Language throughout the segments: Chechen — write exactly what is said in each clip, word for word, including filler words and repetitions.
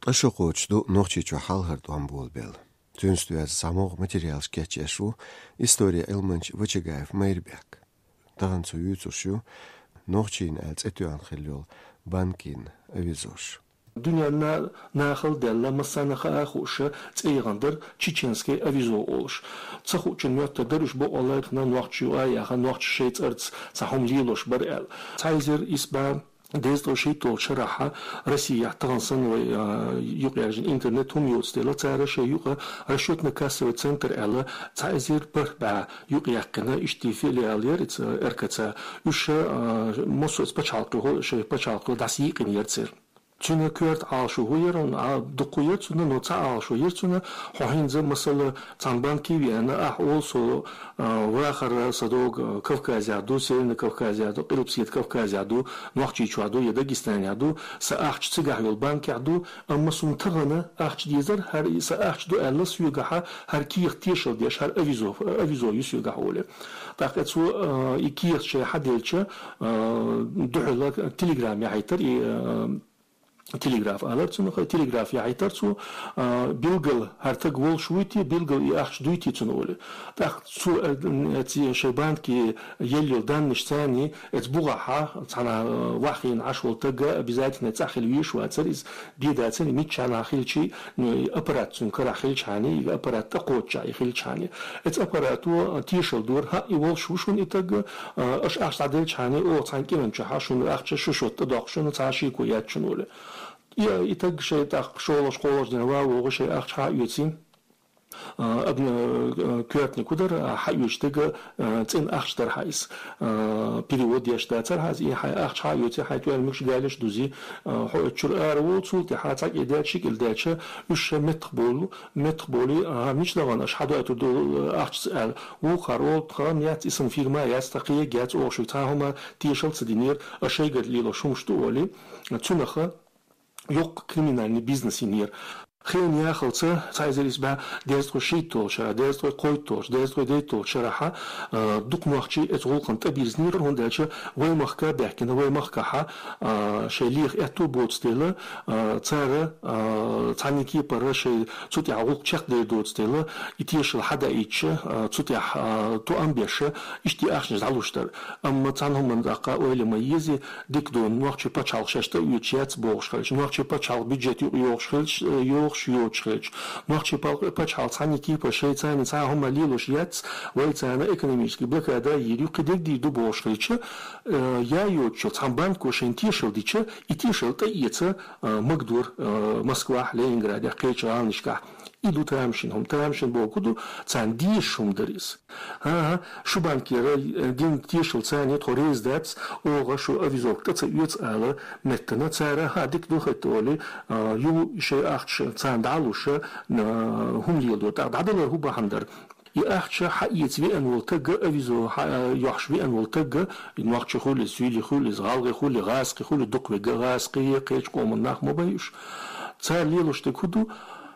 Ткъа шу кхочуш ду Нохчийчохь хьалхара тӀом болабелла. Цуьнца доьзна цхьа могӀа материалаш кечъеш ву историн Ӏилманча Вачагаев Майрбек. Тахана цо юьйцурш ю «Нохчийн» аьлла цӀе тоьхна хилла йолу банкийн авизош. Дуьненна нахала даьлла, массарна хаа а хууш, цӀе яхана дара «Чеченское авизо» олуш. Ца хуучун моьттуш дара уьш бакъволу лайхна нохчий ю а яха, нохчаша шайн цӀарца цхьа хӀума лелош бара аьлла. Цхьа эзар исс бӀе дезткъе шийтталгӀачу шарахь Россехь тахана санна вай, а, юкъаяьржина интернет хӀума йоцу дела, цара шайн юкъа расчетно-кассовый центр аьлла, цхьа эзар бархӀ бӀе юкъаяьккхина, иштта филиал яра иза РКЦ. Уьш, а, массо а пачхьалкхехула, шайн пачхьалкхехула дӀасайийкъина яра церан. Цуьнан коьрта Ӏалашо хӀун яра, а, дуккха яра цуьнан, но цхьа Ӏалашо яра цуьнан, хьо хӀинца, масала, цхьана банке веана, ахь олу, со, а, вахара сан дог Кавказехь ду, Северный Кавказехь ду, Къилбаседа Кавказехь ду, Нохчийчохь ду я Дагестанехь ду, сан ахча цигахь йолу банкехь ду, амма суна тахана ахча дезара, хӀара сан ахча ду аьлла, соьгахьа хӀара кехат тешал деш, хӀара авизо, авизо ю соьгахь олий. ТӀаккха цо, а, и кехат шайн хьаделча, а, дуьхьал телеграмма яхьийтара и, а, телеграф алара цунах, телеграф яхьийтара цо, а, билггал хӀара стаг волуш вуй те, билггал и ахча дуй те цунна олий. ТӀаккха цо, а, ци шайн банке елла йолу данныш царний, эца бухахьа, цхьана, а, ваххийна Ӏаш волу стаг обязательно цӀахь хила везаш вацара иза, де дацара, миччахьа хилчий, ну, и аппарат цуьнан карахь хилчхьаний, и аппарат тӀекхоччехь и хилчхьаний. Эца аппарато тешал дора, хӀаъ, и волуш ву шуна и стаг, а, аша ахча дӀаделчхьаний, оха цхьана кӀиран чохьа шуна ахча шу шот тӀедоккху шуна, цхьа а шеко яц шуна олий. И, и стаг шайн тӀаккха шолгӀачу-кхоалгӀачу дийнахь ван вогӀу шайн ахча хьа а оьций. А, абна, а, коьртаниг хӀун дара, а, хьаоьцу стага, а, цӀена ахча дара хьан иза. А, перевод еш дацара хьан иза, и хьайн ахча хьаоьций, хьайн тӀоьрмигаш, галеш дузий, а, хьо оцу чуьра ара волу, цул тӀаьхьа цхьа кӀел даьлча, ши кӀел даьлча, уьш ша меттах болу, меттах болий, а, мича дахана аша хьадойтур ду, а, ахчаца аьлла. Вукхара олу, тхан яц, и сан фирма яц, тхан кхега яц, оха шуьга цхьа хӀума тешал ца динера, аша шайгара лелош хӀумаш ду олий, цуьнаха йоккха криминальный бизнес йинера. Хенан яхалца, цхьа эзар исс бӀе дезткъе шийтталгӀачу шарахь, дезткъе кхойтталгӀачу, дезткъе дейтталгӀачу шарахьа, а, дукха нохчий эца гӀуллакхана тӀебирзинера, хӀунда аьлча вай махка а баьхкина, вай махкахьа, а, шайн леха аьтто боцу дела, а, цара, а, цхьанна кепара шайн цу тӀехь гӀуллакх чекхдер доцу дела, и тешал хьадаийтча, а, цу тӀехь, а, тоам беша, иштта ахчанаш дӀалуш дара. Амма цхьана хӀуманна тӀаккха ойла ма еза, дика ду, нохчийн пачхьалкх шаьш тӀеоьцуш яц бохуш хилча, нохчийн пачхьалкх бюджет юкъа йохуш хилча, э, йохуш йоцуш хилча, нохчийн пал-, пачхьалкх цхьанна кепара шайн царна цхьа хӀума лелош яц, вай царна экономический блокада йийр ю, кхидерг дийр ду бохуш хилча, э, я йоцучу цхьана банко шайна тешал дича, и тешал тӀеэца, э, магадора, э, Москвахь, Ленинградехь, кхечу гӀаланашкахь. И ду тамашийна хӀума. Тамашийна бохург ду, царна дезаш хӀума дара иза. ХӀан-хӀа, шу банкера, э, дина тешал царна тхо реза дац, оха шу авизовка тӀе ца оьцу ала меттана. Цара, хӀа, дика ду хӀетта олий, а, ю шайн ахча царна дӀа а луш, а, хӀума леладора. ТӀаккха дӀадалар хӀун бахьана дара? И ахча хьаэца веана волу стаг, авизо хьа-, йохьуш веана волу стаг, нохчи хуьлий, суьйли хуьлий, гӀалгӀи хуьлий, гӀазкхи хуьлий, дукха вега гӀазкхи, кхечу къоман нах ма бай уьш. Цара лелош дерг хӀун ду?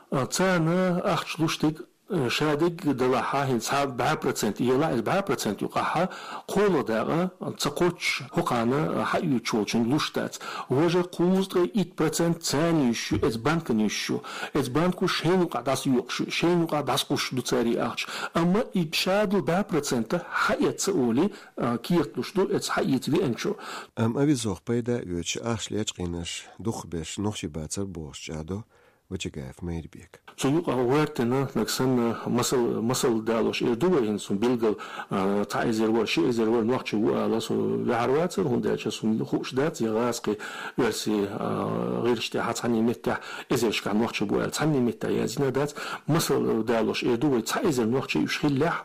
А, царна ахча луш дерг, э, шадерг далахьа, хӀинца цхьа бӀе процент елахь, иза бӀе процент юкъахьа, кхола дакъа ца кхоччуш хӀокхана, э, хьаоьцуш волчун луш дац. Важа кхузткъе итт процент царна йиш ю, эца банкана йиш ю. Эца банко шайна юкъахь дӀасайоккхуш ю, шайна юкъахь дӀасакхуссуш ду цара и ахча. Амма и шадолу бӀе процент хьаэца олий, э, кехат луш ду эца хьаэца веанчо. Амма авизох пайда а оьцуш, ахча лечкъийнарш дукхахберш нохчий бацара бохуш чӀагӀдо Вачагаев Майрбека. Цу юкъа гӀоьртина, нагахь санна, масал, масал далош эр ду вай хӀинца, цунна билггал, а, цхьа эзар вара, ши эзар вара нохчи ву ала со ваьхьар вацара, хӀунда аьлча суна хууш дац, я гӀазкхи, оьрси, а, гӀирсаш тӀехь, цхьанне меттехь эзаршкахь нохчи бу аьлла, цхьанне меттехь яздина дац. Масал далош эр ду вай, цхьа эзар нохчи уьш хиллехь,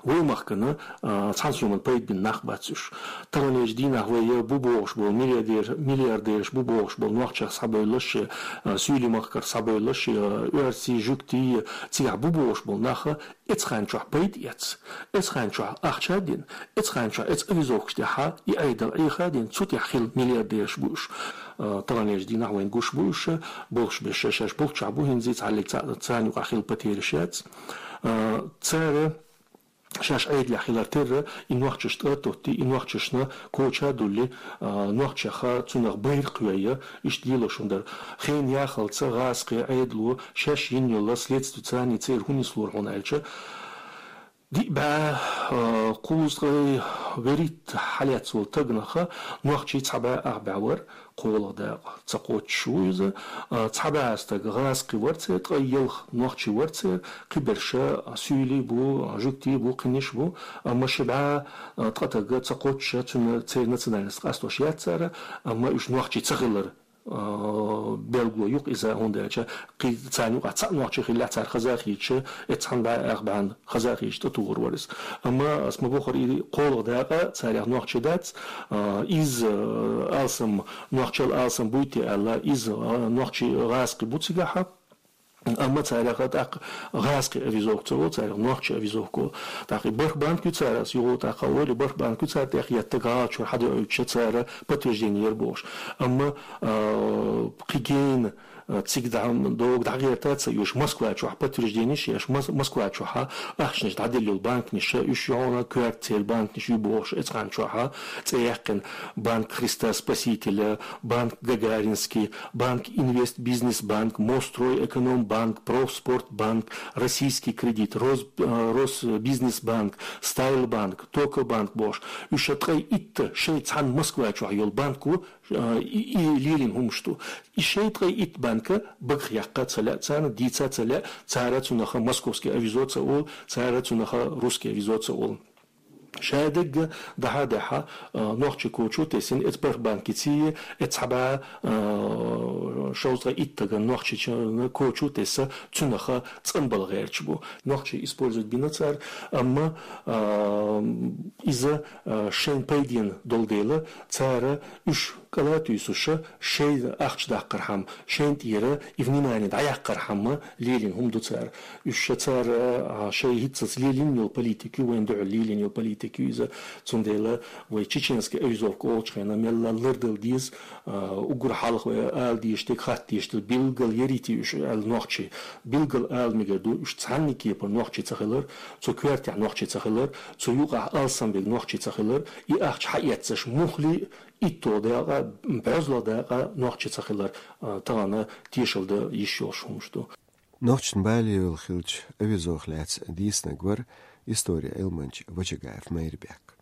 вай махкана, а, цхьана соман пайда бина нах бац уьш. Таханлерчу дийнахь вай я бу бохуш болу миллиардер-, миллиардераш бу бохуш болу нохчех схьабевллаш, а, суьйли махкара схьабевллаш, а, оьрси, жуьгти, цигахь бу бохуш болу наха эцхьан чохь пайда эц. Эцхьан чохь ахча а дина, эцхьан чохь эц авизовкаш тӀехьа и Ӏедал Ӏеха а дина, цу тӀехь хилла миллиардераш бу уьш. А, таханлерчу дийнахь вайн гуш бу уьш, болуш беш шаьш-шаьш болчохь бу хӀинца, цхьаллиг ца-, царна юкъахь хилла потеряш яц. А, цара шаьш Ӏедалехь хилар терра, и нохчашта а тоттий, и нохчашна коча а дуллий, а, нохчех цунах байракх вейя, иштта лелош хӀума дар. Хен яхалца гӀазкхи Ӏедало шаьш йина йола следствица а церан хӀунис лора хьуна аьлча, диъ бӀаь, а, кхузткъе вуьрхӀитта хьалаьцна волу тагнаха нохчий цхьа бӀаь ах бӀаь вара, кхоалгӀа дакъа ца кхоччуш ву иза. А, цхьа бӀаь стаг гӀазкхи вара церан, ткъе ялх нохчий вара церан, кхиберш суьйлий бу, жуьгтий бу, кхиниш бу, амма ши бӀаь, а, ткъа таг ца кхоччуш, цуьнан церан национальность къастош яц цара, амма уьш нохчий ца хилар, а, белгало ю-кх иза, хӀунда аьлча кхин царна юкъахь цхьаъ нохчи хиллехь, цара хаза а хеташ, эццхьан бӀаь ах бӀаьнна хаза а хеташ, тӀетухур вара иза. Амма ас ма боххара, и кхоалгӀа дакъа царех нохчий дац, а, иза, а, алсам, нохчал алсам буй те аьлла, иза, а, нохчий гӀазкхи бу цигахьа. Амма царех тӀаккха гӀазкхи авизовка ца волу, царех нохчий авизовка волу. ТӀаккха и бархӀ банк ю цара, ас юха тӀаккха а олий, бархӀ банк ю цара тӀехъеттарг гӀалачуьра хьадоуьйтуш, цара подтверждение яр бохуш. Амма, а, кхин гена, а, цига дӀа, догӀа дӀагӀерта а ца оьшу, Москва чохь подтвержденеш еш, Мос-, Москва чохьа ахчанаш дӀаделла йолу банкнаш, уьш ю хьуна коьрта церан банкнаш ю бохуш, эцхьан чохьа цӀе яьккхина Банк Христа Спасителя, Банк Гагаринский, Банк Инвест Бизнес Банк, Мострой Эконом Банк, Профспорт Банк, Российский кредит, Рос-, э, Росбизнес Банк, Стайл Банк, Тока Банк бохуш. Уьш ткъе итт шайн цхьана Москва чохь йолу банк ву, а, и, и лелийна хӀумаш ду. И шайн ткъе итт банка багах яккха ца лаьа, царна дийца ца лаьа, цара цунах московский авизо ца олу, цара цунах русский авизо ца олу. Шадерг дӀахьа а даьхьа, а, нохчий коча а тесна, эцу бархӀ банкиций, эцу цхьа бӀаь, а, шовзткъе итт тагана нохчий коча а тесна, цунах цӀанбала гӀерташ бу. Нохчий использовать бина цара, амма, а, иза, а, шайн пайденна долу дела, цара уьш кӀала а туьйсуш, шайн ахча даккхархьама, шайна тӀера и внимание дӀаяккхархьама лелийна хӀума ду цара. Уьш ша цара, а, шайн хӀинццалц лелийна йолу политика ю, вайна дуьхьал лелийна йолу политика ю иза. Цундела вай чеченский авизовка олучу хенахь мелла лардала деза, а, уггар хьалха вай ала дезаш дерг, хатта дезаш дерг, билггал ярийта уьш аьлла нохчий. Билггал ала мегар ду, уьш цхьанна кепара нохчий ца хилар, цу коьртехь нохчий ца хилар, цу юкъахь алсам берг нохчий ца хилар, и ахча хьаэццаш муххале а, итто дакъа, бӀозлагӀа дакъа нохчий ца хилар, а, тахана тешалла дан йиш йолуш хӀумаш ду. Нохчийн балийвелла хиллачу авизох лаьцна дийцинарг вара историн Ӏилманча Вачагаев Майрбек.